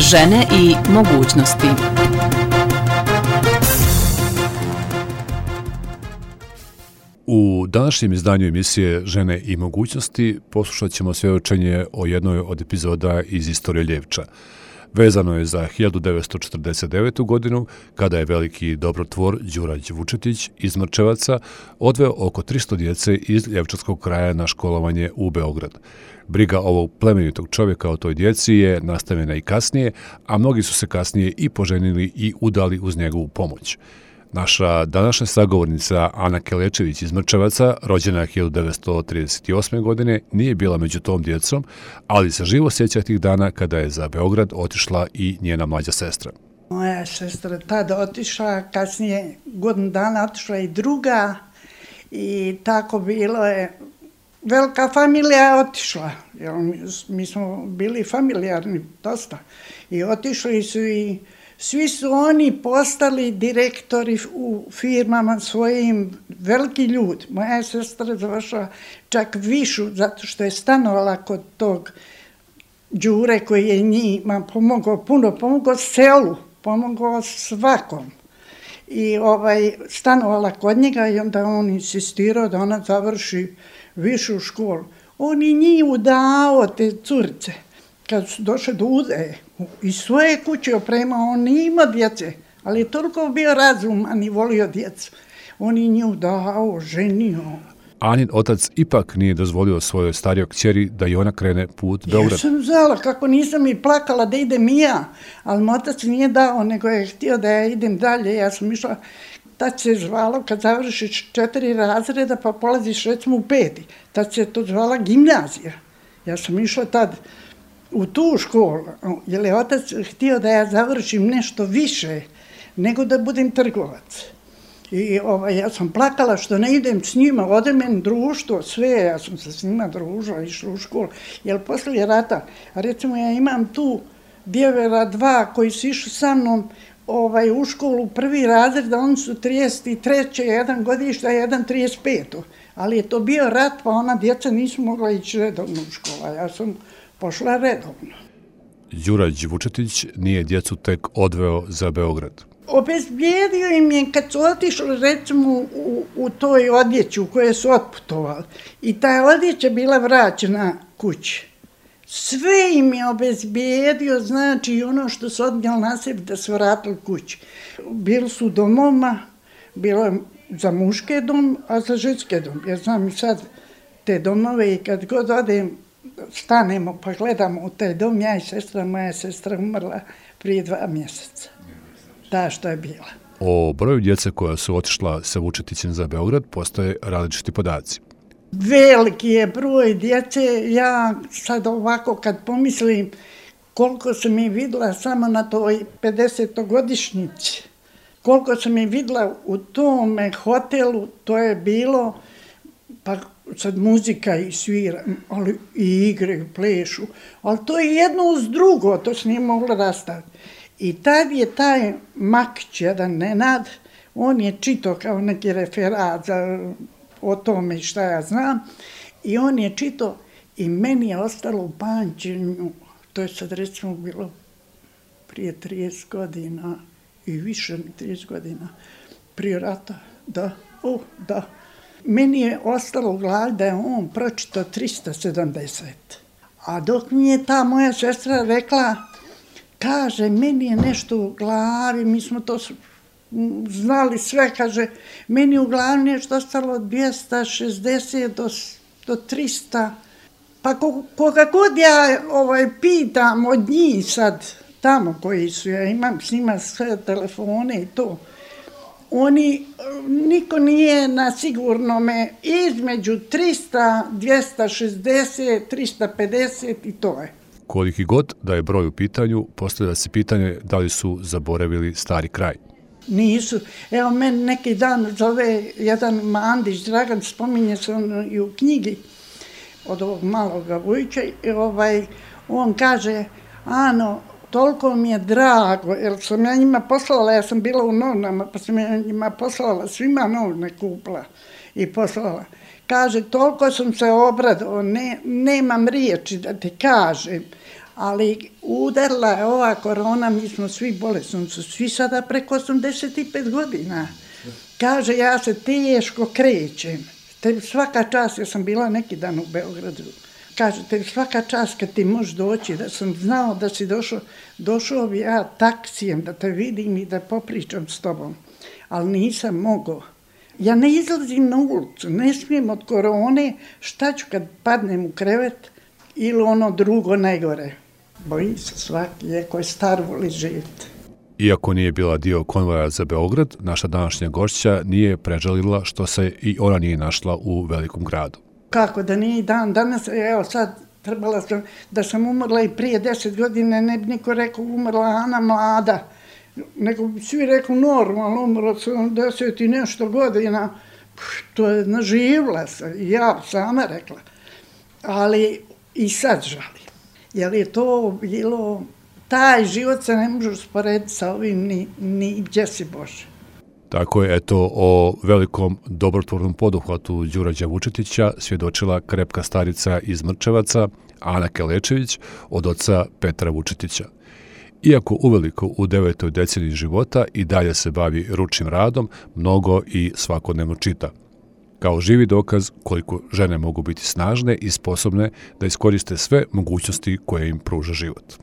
Žene i mogućnosti. U današnjem izdanju emisije Žene i mogućnosti poslušat ćemo svjedočenje o jednoj od epizoda iz istorije Ljevča. Vezano je za 1949. godinu, kada je veliki dobrotvor Đurađ Vučetić iz Mrčevaca odveo oko 300 djece iz Ljevčanskog kraja na školovanje u Beograd. Briga ovog plemenitog čovjeka o toj djeci je nastavljena i kasnije, a mnogi su se kasnije i poženili i udali uz njegovu pomoć. Naša današnja sagovornica Ana Kelečević iz Mrčevaca, rođena 1938. godine, nije bila među tom djecom, ali se živo sjeća tih dana kada je za Beograd otišla i njena mlađa sestra. Moja sestra tada otišla, kasnije godinu dana otišla i druga i tako bilo je. Velika familija je otišla, jer mi smo bili familijarni dosta i otišli su i svi su oni postali direktori u firmama svojim, veliki ljudi. Moja sestra završila čak višu zato što je stanovala kod tog Đure koji je njima pomogao selu, pomogao svakom. I stanovala kod njega i onda on insistirao da ona završi višu školu. On je njih udao te curice. Kad su došli do udaje, iz svoje kuće opremao, on nije imao djece, ali je toliko bio razuman i volio djecu. On je nju dao, ženio. Anin otac ipak nije dozvolio svojoj starijoj kćeri da i ona krene put Beograd. Ja sam znala kako nisam i plakala da idem i ja, ali moj otac nije dao, nego je htio da ja idem dalje. Ja sam išla, tad se zvalo kad završiš 4 razreda pa polaziš recimo u 5. Tad se to zvala gimnazija. Ja sam išla tad u tu školu, jer je otac htio da ja završim nešto više nego da budem trgovac. I ja sam plakala što ne idem s njima, ode meni društvo, sve, ja sam se s njima družila, išla u školu. Jer poslije rata, recimo ja imam tu djevera 2 koji su išli sa mnom u školu prvi razred, da oni su 33. jedan godišta, jedan 35. Ali je to bio rat, pa ona djeca nisu mogla ići redovno u školu, ja sam pošla redovno. Đurađ Vučetić nije djecu tek odveo za Beograd. Obezbijedio im je kad su otišli recimo u toj odjeći u kojoj su otputovali i ta odjeća bila vraćena kući. Sve im je obezbijedio, znači ono što su odnijeli na sebi da se vratili kući. Bili su domovima, bilo je za muške dom, a za ženske dom. Ja znam i sad te domove i kad god odem, stanemo pa gledamo u taj dom, ja i sestra, moja sestra umrla prije 2 mjeseca. Ta što je bila. O broju djece koja su otišla sa Vučetićem za Beograd postoje različiti podaci. Veliki je broj djece, ja sad ovako kad pomislim koliko sam je vidjela samo na toj 50-godišnjici, koliko sam je vidjela u tome hotelu, to je bilo, pa sad muzika i svira, ali i igre, plešu, ali to je jedno uz drugo, to se nije moglo rastaviti. I tad je taj Makić, jedan Nenad, on je čitao kao neki referat o tome šta ja znam, i on je čitao i meni je ostalo u pamćenju, to je sad recimo bilo prije 30 godina i više 30 godina, prije rata, da. Meni je ostalo u glavi da je on pročitao 370. A dok mi je ta moja sestra rekla, kaže, meni je nešto u glavi, mi smo to znali sve, kaže, meni u glavi nešto ostalo od 260 do 300. Pa koga god ja pitam od njih sad, tamo koji su, ja imam s njima sve telefone i to, niko nije na sigurnome između 300, 260, 350 i to je. Koliki god da je broj u pitanju, postavlja se pitanje da li su zaboravili stari kraj. Nisu. Evo, meni neki dan zove jedan Mandić, Dragan, spominje se on i u knjigi od ovog maloga Vujića, on kaže, Ano, toliko mi je drago, jer sam ja njima poslala, ja sam bila u novinama, pa sam ja njima poslala, svima novine kupila i poslala. Kaže, toliko sam se obradovao, nemam riječi da ti kažem, Ali udarila je ova korona, mi smo svi bolesni, su svi sada preko 85 godina. Kaže, ja se teško krećem. Tebi svaka čast, ja sam bila neki dan u Beogradu, kaže, tebi svaka čast kad ti možeš doći, da sam znao da si došao bi ja taksijem da te vidim i da popričam s tobom, ali nisam mogao. Ja ne izlazim na ulicu, ne smijem od korone, šta ću kad padnem u krevet ili ono drugo najgore. Bojim se svaki, ko je star, voli živjeti. Iako nije bila dio konvoja za Beograd, naša današnja gošća nije prežalila što se i ona nije našla u velikom gradu. Kako da nije dan danas, evo sad trebala sam, da sam umrla i prije 10 godina, ne bi niko rekao umrla Ana mlada, nego bi svi rekao normalno, umrla sam 10 i nešto godina, to je naživla se, ja sama rekla, ali i sad žalim, jer je to bilo, taj život se ne može usporediti sa ovim ni gdje si Bože. Tako je, eto, o velikom dobrotvornom poduhvatu Đurađa Vučetića svjedočila krepka starica iz Mrčevaca, Ana Kelečević, od oca Petra Vučetića. Iako uveliko u 9. deceniji života i dalje se bavi ručnim radom, mnogo i svakodnevno čita. Kao živi dokaz koliko žene mogu biti snažne i sposobne da iskoriste sve mogućnosti koje im pruža život.